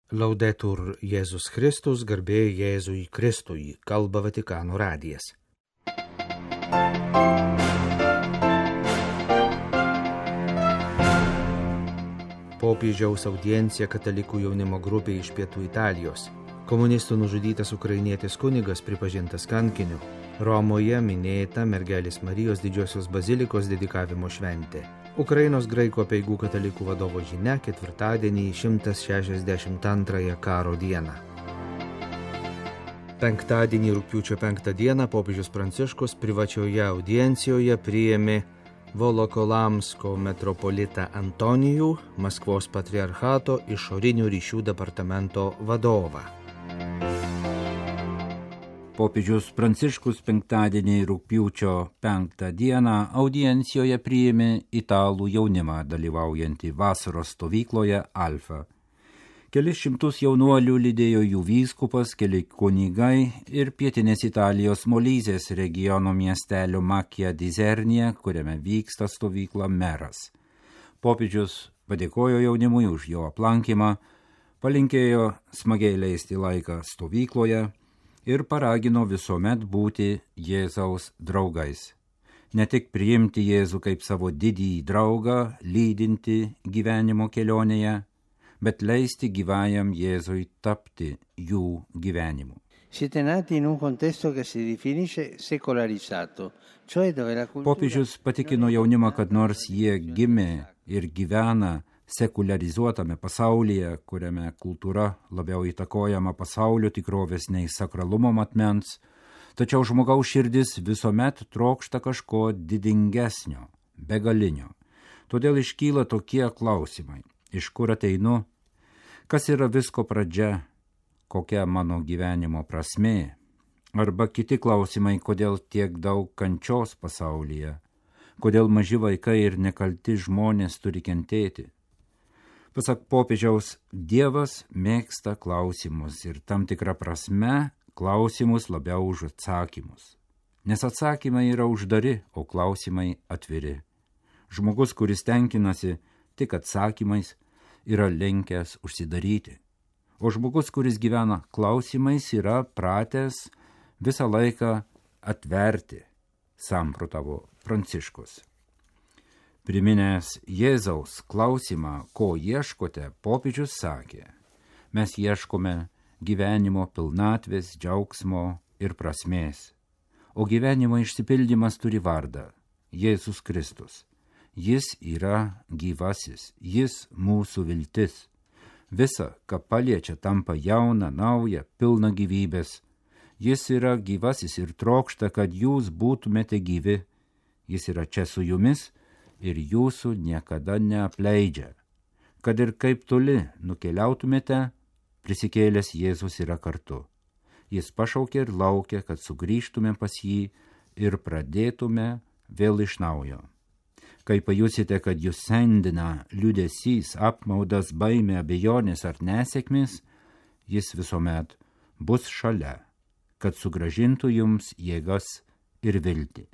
Laudetur Jėzus Kristus, garbė Jėzui Kristui, kalba Vatikano radijas. Popiežiaus audiencija katalikų jaunimo grupė iš Pietų Italijos. Komunistų nužudytas ukrainietis kunigas pripažintas kankiniu. Romoje minėta Mergelės Marijos Didžiosios bazilikos dedikavimo šventė. Ukrainos graikų apeigų katalikų vadovo žinia ketvirtadienį 162 karo dieną. Penktadienį rugpjūčio 5 dieną popiežius Pranciškus privačioje audiencijoje priėmė Volokolamsko metropolitą Antonijų, Maskvos patriarchato išorinių ryšių departamento vadovą. Popiežius Pranciškus penktadienį rugpjūčio 5 dieną audiencijoje priėmė italų jaunimą dalyvaujantį vasaros stovykloje Alfa. Kelis šimtus jaunuolių lydėjo jų vyskupas, keli kunigai ir pietinės Italijos Molizės regiono miestelio Macchia di Isernia, kuriame vyksta stovykla meras. Popiežius padėkojo jaunimui už jo aplankymą, palinkėjo smagiai leisti laiką stovykloje ir paragino visuomet būti Jėzaus draugais. Ne tik priimti Jėzų kaip savo didįjį draugą, lydinti gyvenimo kelionėje, bet leisti gyvajam Jėzui tapti jų gyvenimu. Siete nati in un contesto che si definisce secolarizzato, cioè dove la cultura... Popiežius patikino jaunimą, kad nors jie gimė ir gyvena sekularizuotame pasaulyje, kuriame kultūra labiau įtakojama pasaulio tikrovės nei sakralumo matmens, tačiau žmogaus širdis visuomet trokšta kažko didingesnio, begalinio. Todėl iškyla tokie klausimai: iš kur ateinu, kas yra visko pradžia, kokia mano gyvenimo prasmė, arba kiti klausimai, kodėl tiek daug kančios pasaulyje, kodėl maži vaikai ir nekalti žmonės turi kentėti. Pasak popiežiaus, Dievas mėgsta klausimus ir tam tikrą prasme klausimus labiau už atsakymus. Nes atsakymai yra uždari, o klausimai atviri. Žmogus, kuris tenkinasi tik atsakymais, yra linkęs užsidaryti. O žmogus, kuris gyvena klausimais, yra pratęs visą laiką atverti, samprotavo Pranciškus. Priminęs Jėzaus klausimą, ko ieškote, popiežius sakė: mes ieškome gyvenimo pilnatvės, džiaugsmo ir prasmės. O gyvenimo išsipildymas turi vardą – Jėzus Kristus. Jis yra gyvasis, jis mūsų viltis. Visa, ką paliečia, tampa jauna, nauja, pilna gyvybės. Jis yra gyvasis ir trokšta, kad jūs būtumėte gyvi. Jis yra čia su jumis ir jūsų niekada neapleidžia. Kad ir kaip toli nukeliautumėte, prisikėlęs Jėzus yra kartu. Jis pašaukė ir laukia, kad sugrįžtume pas jį ir pradėtume vėl iš naujo. Kai pajusite, kad jūs sendina liūdesys, apmaudas, baimė, abejonės ar nesėkmės, jis visuomet bus šalia, kad sugrąžintų jums jėgas ir viltį.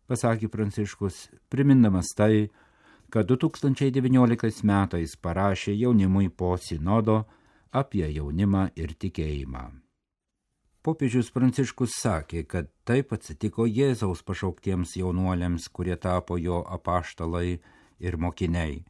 Pasakė Pranciškus, primindamas tai, kad 2019 metais parašė jaunimui po sinodo apie jaunimą ir tikėjimą. Popiežius Pranciškus sakė, kad taip atsitiko Jėzaus pašauktiems jaunuoliams, kurie tapo jo apaštalai ir mokiniai,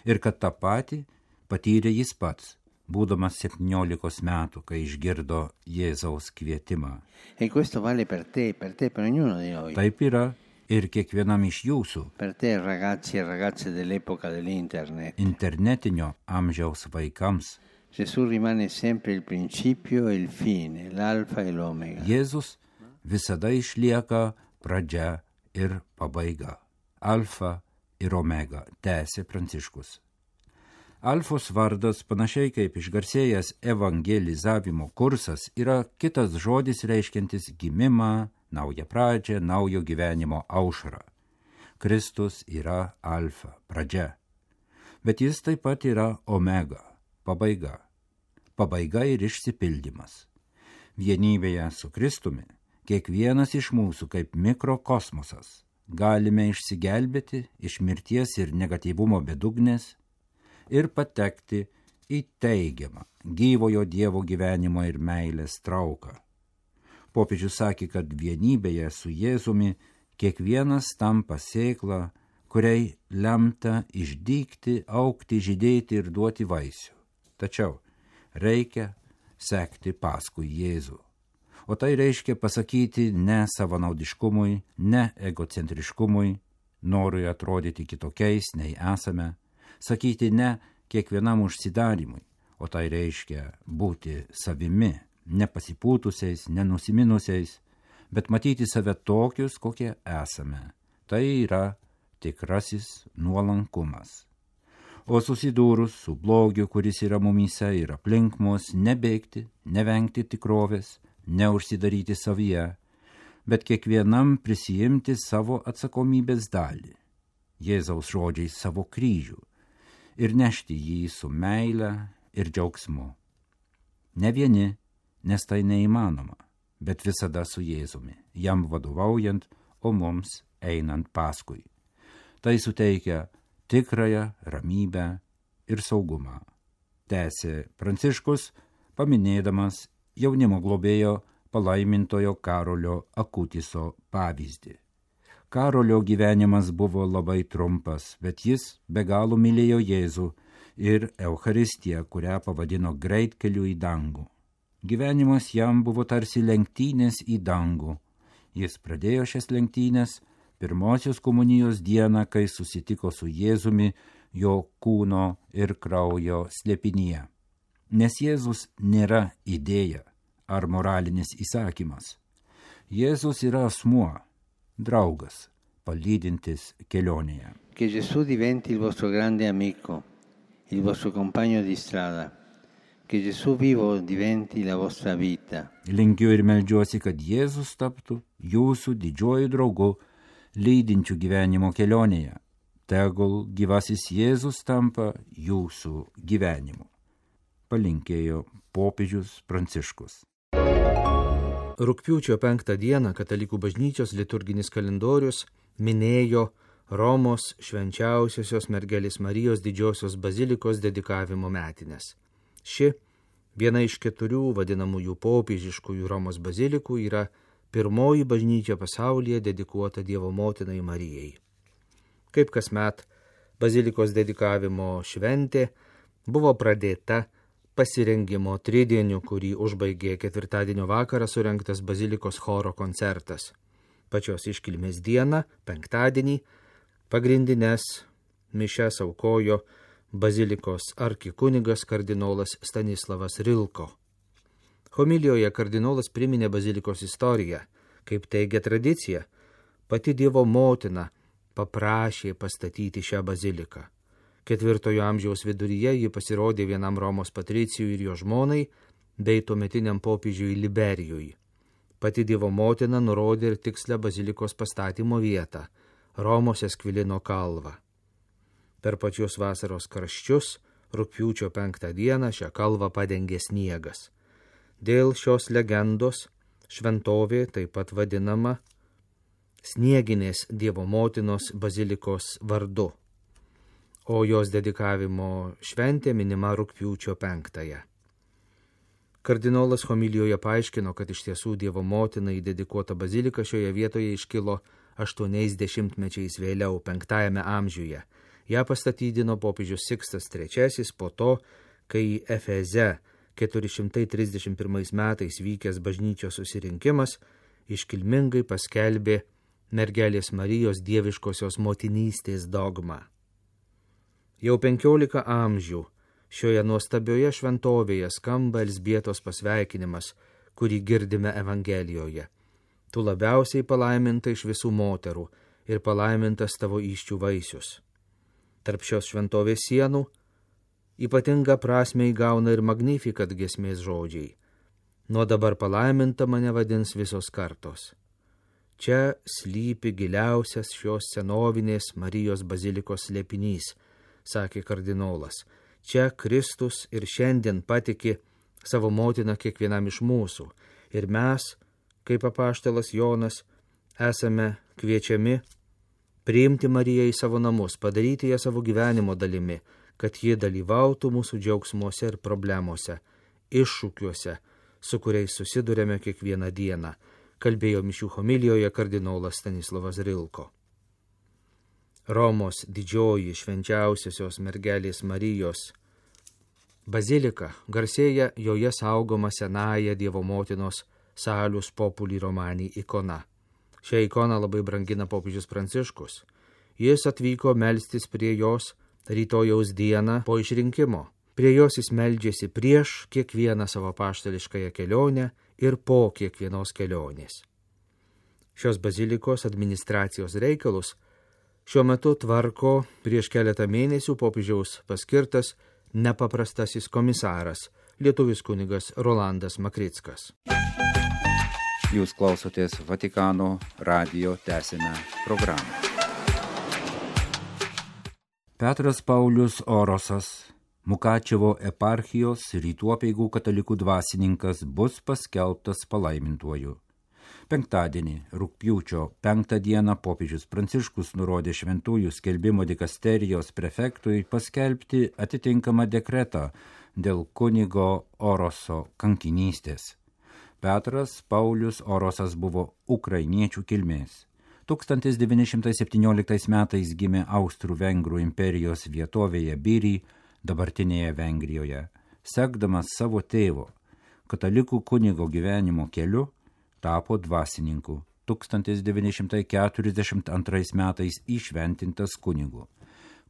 ir kad tą patį patyrė jis pats, būdamas 17 metų, kai išgirdo Jėzaus kvietimą. E questo vale per te, per ognuno di noi. Taip yra ir kiekvienam iš jūsų. Per te, ragazzi e ragazze dell'epoca dell'internet. Internetinio amžiaus vaikams. Gesù rimane sempre il principio e il fine, l'alfa e l'omega. Jėzus visada išlieka pradžia ir pabaiga. Alfa ir omega, tęsė Pranciškus. Alfos vardas, panašiai kaip išgarsėjęs evangelizavimo kursas, yra kitas žodis reiškiantis gimimą, naują pradžią, naujo gyvenimo aušrą. Kristus yra alfa, pradžia. Bet jis taip pat yra omega, pabaiga. Pabaiga ir išsipildymas. Vienybėje su Kristumi kiekvienas iš mūsų kaip mikrokosmosas galime išsigelbėti iš mirties ir negatyvumo bedugnės ir patekti į teigiamą gyvojo Dievo gyvenimo ir meilės trauką. Popiežius sakė, kad vienybėje su Jėzumi kiekvienas tampa sėkla, kuriai lemta išdygti, augti, žydėti ir duoti vaisių. Tačiau reikia sekti paskui Jėzų. O tai reiškia pasakyti ne savanaudiškumui, ne egocentriškumui, norui atrodyti kitokiais nei esame, sakyti ne kiekvienam užsidarimui, o tai reiškia būti savimi, nepasipūtusiais, nenusiminusiais, bet matyti save tokius, kokie esame. Tai yra tikrasis nuolankumas. O susidūrus su blogiu, kuris yra mumyse ir aplink mus, nebėgti, nevengti tikrovės, neužsidaryti savyje, bet kiekvienam prisijimti savo atsakomybės dalį, Jėzaus žodžiais savo kryžių, ir nešti jį su meile ir džiaugsmu. Ne vieni, nes tai neįmanoma, bet visada su Jėzumi, jam vadovaujant, o mums einant paskui. Tai suteikia tikrąją ramybę ir saugumą. Tęsė Pranciškus, paminėdamas jaunimo globėjo palaimintojo Karolio Akutiso pavyzdį. Karolio gyvenimas buvo labai trumpas, bet jis be galo mylėjo Jėzų ir Eucharistiją, kurią pavadino greitkeliu į dangų. Gyvenimas jam buvo tarsi lenktynės į dangų. Jis pradėjo šias lenktynės pirmosios komunijos dieną, kai susitiko su Jėzumi jo kūno ir kraujo slėpinyje. Nes Jėzus nėra idėja ar moralinis įsakymas. Jėzus yra asmuo, draugas, palydintis kelionėje. Che Gesù diventi il vostro grande amico, il vostro compagno di strada. Che Gesù vivo diventi la vostra vita. Linkiu ir meldžiuosi, kad Jėzus taptų jūsų didžiuoju draugu, lydinčiu gyvenimo kelionėje. Tegul gyvasis Jėzus tampa jūsų gyvenimu. Palinkėjo popiežius Pranciškus. Rugpjūčio 5 dieną Katalikų bažnyčios liturginis kalendorius minėjo Romos švenčiausiosios mergelės Marijos didžiosios bazilikos dedikavimo metines. Ši, viena iš 4 vadinamųjų popiežiškųjų Romos bazilikų, yra pirmoji bažnyčia pasaulyje dedikuota Dievo motinai Marijai. Kaip kasmet, bazilikos dedikavimo šventė buvo pradėta pasirengimo tridieniu, kurį užbaigė ketvirtadienio vakarą surengtas bazilikos choro koncertas. Pačios iškilmės dieną, penktadienį, pagrindines mišias aukojo bazilikos arkikunigas kardinolas Stanislavas Rilko. Homilijoje kardinolas priminė bazilikos istoriją. Kaip teigia tradicija, pati Dievo motina paprašė pastatyti šią baziliką. 4 amžiaus viduryje ji pasirodė vienam Romos patricijui ir jo žmonai, bei tuometiniam popiežiui Liberijui. Pati Dievo motina nurodė ir tikslę bazilikos pastatymo vietą – Romos Eskvilino kalvą. Per pačius vasaros karščius, rugpjūčio 5 dieną šią kalvą padengė sniegas. Dėl šios legendos šventovė taip pat vadinama Snieginės Dievo motinos bazilikos vardu, o jos dedikavimo šventė minima rugpjūčio 5. Kardinolas homilijoje paaiškino, kad iš tiesų Dievo motinai dedikuota bazilika šioje vietoje iškilo 80 mečiais vėliau, 5 amžiuje. Ją pastatydino popiežius Sikstas III po to, kai Efeze 431 metais vykęs bažnyčios susirinkimas iškilmingai paskelbė mergelės Marijos dieviškosios motinystės dogmą. Jau 15 amžių šioje nuostabioje šventovėje skamba Elzbietos pasveikinimas, kurį girdime Evangelijoje. Tu labiausiai palaiminta iš visų moterų ir palaimintas tavo įsčių vaisius. Tarp šios šventovės sienų ypatinga prasmę įgauna ir Magnificat giesmės žodžiai. Nuo dabar palaiminta mane vadins visos kartos. Čia slypi giliausias šios senovinės Marijos bazilikos slėpinys, sakė kardinolas. Čia Kristus ir šiandien patiki savo motiną kiekvienam iš mūsų. Ir mes, kaip apaštalas Jonas, esame kviečiami priimti Mariją į savo namus, padaryti ją savo gyvenimo dalimi, kad ji dalyvautų mūsų džiaugsmuose ir problemuose, iššūkiuose, su kuriais susidurėme kiekvieną dieną, kalbėjo mišių homilijoje kardinolas Stanislavas Rilko. Romos didžioji švenčiausiosios mergelės Marijos bazilika garsėja joje saugoma senąja Dievo motinos Salus Populi Romani ikona. Šią ikoną labai brangina popiežius Pranciškus. Jis atvyko melstis prie jos rytojaus dieną po išrinkimo. Prie jos jis meldžiasi prieš kiekvieną savo apaštališkąją kelionę ir po kiekvienos kelionės. Šios bazilikos administracijos reikalus šiuo metu tvarko prieš keletą mėnesių popiežiaus paskirtas nepaprastasis komisaras, lietuvis kunigas Rolandas Makrickas. Jūs klausotės Vatikano radijo tęsinę programą. Petras Paulius Orosas, Mukačevo eparchijos Rytų apeigų katalikų dvasininkas, bus paskelbtas palaimintuoju. Penktadienį, rugpjūčio 5 dieną, popiežius Pranciškus nurodė šventųjų skelbimo dikasterijos prefektui paskelbti atitinkamą dekretą dėl kunigo Oroso kankinystės. Petras Paulius Orosas buvo ukrainiečių kilmės. 1917 metais gimė Austrų-Vengrų imperijos vietovėje Byry, dabartinėje Vengrijoje. Sekdamas savo tėvo, katalikų kunigo gyvenimo keliu, tapo dvasininku. 1942 metais įšventintas kunigu.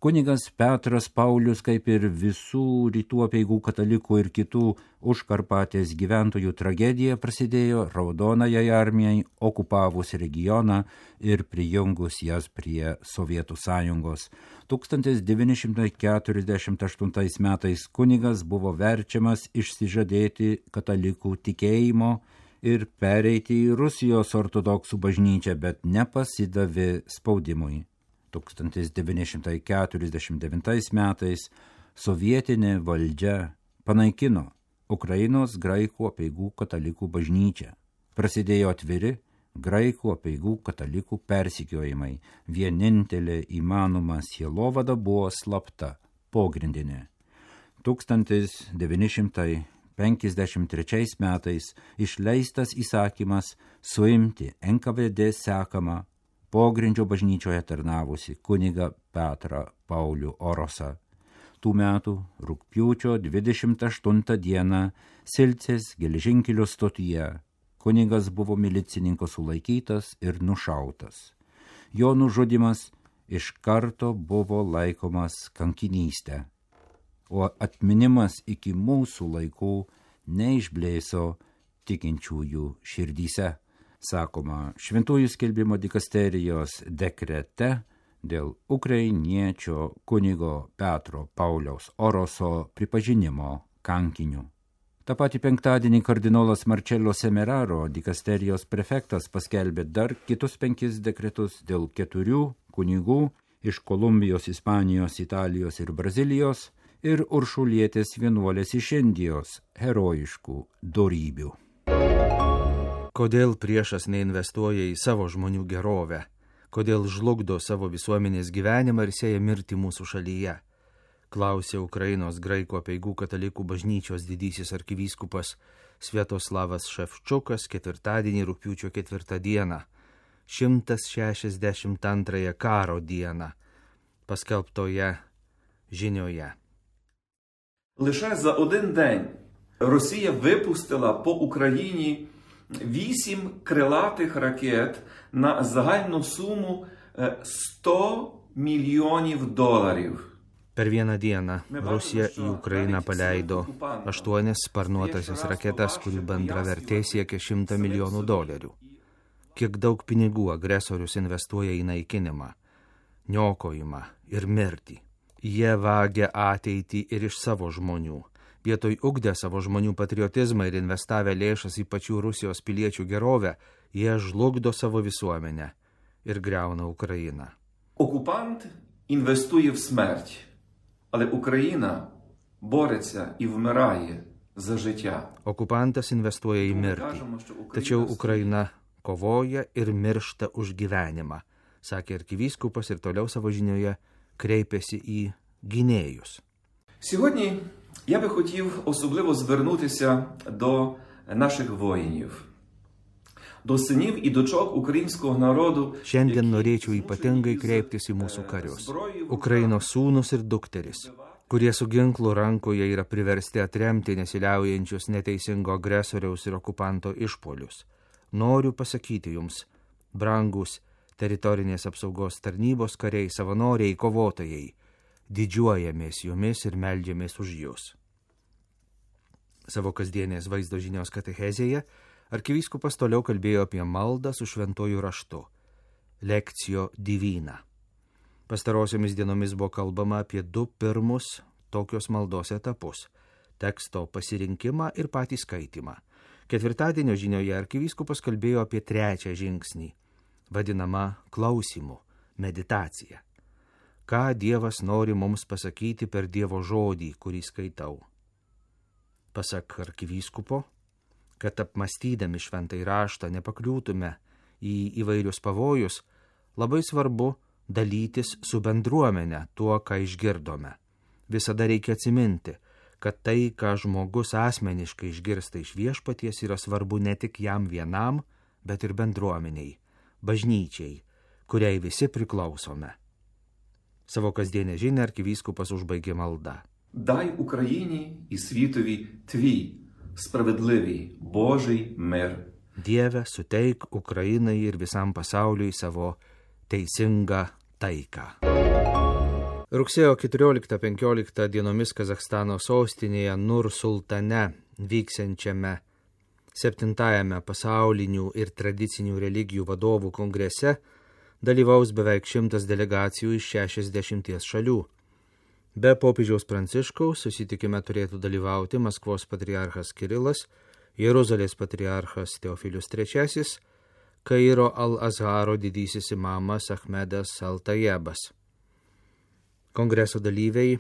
Kunigas Petras Paulius, kaip ir visų rytų apeigų katalikų ir kitų Užkarpatės gyventojų tragedija, prasidėjo Raudonajai armijai okupavus regioną ir prijungus jas prie Sovietų sąjungos. 1948 metais kunigas buvo verčiamas išsižadėti katalikų tikėjimo ir pereiti į Rusijos ortodoksų bažnyčią, bet nepasidavė spaudimui. 1949 metais sovietinė valdžia panaikino Ukrainos graikų apeigų katalikų bažnyčią. Prasidėjo atviri graikų apeigų katalikų persekiojimai. Vienintelė įmanoma sielovada buvo slapta, pogrindinė. 1953 metais išleistas įsakymas suimti NKVD sekamą pogrindžio bažnyčioje tarnavusi kunigą Petrą Paulių Orosą. Tų metų rugpjūčio 28 dieną Silcės geležinkelio stotyje kunigas buvo milicininko sulaikytas ir nušautas. Jo nužudymas iš karto buvo laikomas kankinystė, o atminimas iki mūsų laikų neišblėso tikinčiųjų širdyse. Sakoma šventųjų skelbimo dikasterijos dekrete dėl ukrainiečio kunigo Petro Pauliaus Oroso pripažinimo kankiniu. Ta patį penktadienį kardinolas Marcello Semeraro, dikasterijos prefektas, paskelbė dar kitus 5 dekretus dėl 4 kunigų iš Kolumbijos, Ispanijos, Italijos ir Brazilijos ir uršulietės vienuolės iš Indijos herojiškų dorybių. Kodėl priešas neinvestuoja į savo žmonių gerovę? Kodėl žlugdo savo visuomenės gyvenimą ir sėja mirtį mūsų šalyje? Klausė Ukrainos graikų apeigų katalikų bažnyčios didysis arkivyskupas Sviatoslavas Ševčukas ketvirtadienį rugpjūčio 4 dieną, 162 karo dieną, paskelbtoje žinioje. Лише за один день Росія випустила по Україні 8 крилатих ракет на загальну суму $100 мільйонів. Per vieną dieną Rusija į Ukrainą paleido 8 sparnuotasias raketas, kurių bendra vertė siekia $100 milijonų. Kiek daug pinigų agresorius investuoja į naikinimą, niokojimą ir mirtį. Jie vagia ateitį ir iš savo žmonių. Vietoj ugdę savo žmonių patriotizmą ir investavę lėšas į pačių Rusijos piliečių gerovę, jie žlugdo savo visuomenę ir griauna Ukrainą. Окупант інвестує в смерть, але Україна бореться і вмирає за життя. Okupantas investuoja į mirtį, tačiau Ukraina kovoja ir miršta už gyvenimą, sakė arkivyskupas ir toliau savo žinioje kreipėsi į gynėjus. Сьогодні я би хотів особливо звернутися до наших воїнів, до синів і дочок українського народу. Šiandien norėčiau ypatingai kreiptis į mūsų karius, Ukrainos sūnus ir dukteris, kurie su ginklu rankoje yra priversti atremti nesiliaujančius neteisingo agresoriaus ir okupanto išpolius. Noriu pasakyti jums, brangus teritorinės apsaugos tarnybos kariai, savanoriai, kovotojai, didžiuojamės jumis ir meldžiamės už jūs. Savo kasdienės vaizdo žinios katechezėje arkivyskupas toliau kalbėjo apie maldą su šventuoju raštu, lekcijo divina. Pastarosiomis dienomis buvo kalbama apie 2 pirmus tokios maldos etapus – teksto pasirinkimą ir patį skaitimą. Ketvirtadienio žinioje arkivyskupas kalbėjo apie 3 žingsnį, vadinamą klausimu, meditacija. Ką Dievas nori mums pasakyti per Dievo žodį, kurį skaitau. Pasak arkivyskupo, kad apmastydami šventąjį raštą nepakliūtume į įvairius pavojus, labai svarbu dalytis su bendruomenė tuo, ką išgirdome. Visada reikia atsiminti, kad tai, ką žmogus asmeniškai išgirsta iš Viešpaties, yra svarbu ne tik jam vienam, bet ir bendruomeniai, bažnyčiai, kuriai visi priklausome. Savo kasdienę žinią arkivyskupas užbaigė malda. Дай Україні і світові твій справедливий Божий мир. Dieve, suteik Ukrainai ir visam pasauliui savo teisingą taiką. Rugsėjo 14-15 dienomis Kazachstano sostinėje Nur Sultane vyksiančiame 7-ajame pasaulinių ir tradicinių religijų vadovų kongrese dalyvaus beveik 100 delegacijų iš 60 šalių. Be popiežiaus Pranciškaus susitikime turėtų dalyvauti Maskvos patriarchas Kirilas, Jeruzalės patriarchas Teofilius III, Kairo Al-Azharo didysis imamas Ahmedas Al-Tajebas. Kongreso dalyviai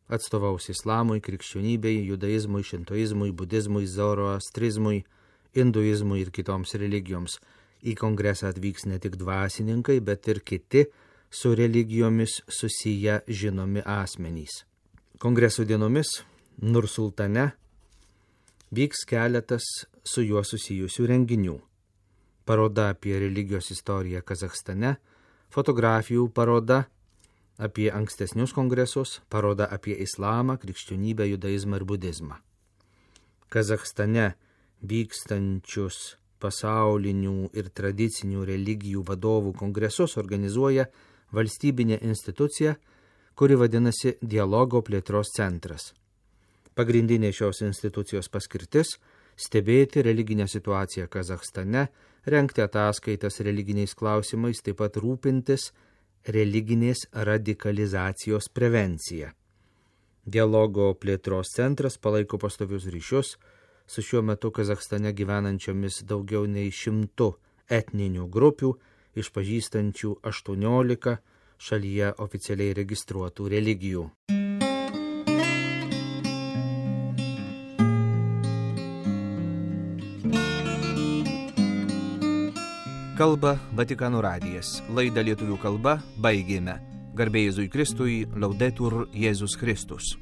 atstovaus islamui, krikščionybei, judaizmui, šintoizmui, budizmui, zoroastrizmui, hinduizmui ir kitoms religijoms. Į kongresą atvyks ne tik dvasininkai, bet ir kiti su religijomis susiję žinomi asmenys. Kongreso dienomis Nur Sultane vyks keletas su juo susijusių renginių. Paroda apie religijos istoriją Kazachstane, fotografijų paroda apie ankstesnius kongresus, paroda apie islamą, krikščionybę, judaizmą ir budizmą. Kazachstane vykstančius pasaulinių ir tradicinių religijų vadovų kongresus organizuoja valstybinė institucija, kuri vadinasi Dialogo plėtros centras. Pagrindinė šios institucijos paskirtis – stebėti religinę situaciją Kazachstane, rengti ataskaitas religiniais klausimais, taip pat rūpintis religinės radikalizacijos prevencija. Dialogo plėtros centras palaiko pastovius ryšius su šiuo metu Kazachstane gyvenančiomis daugiau nei 100 etninių grupių, išpažįstančių 18 šalyje oficialiai registruotų religijų. Kalba Vatikano radijas. Laidą lietuvių kalba baigėme. Garbė Jėzui Kristui, Laudetur Jėzus Kristus.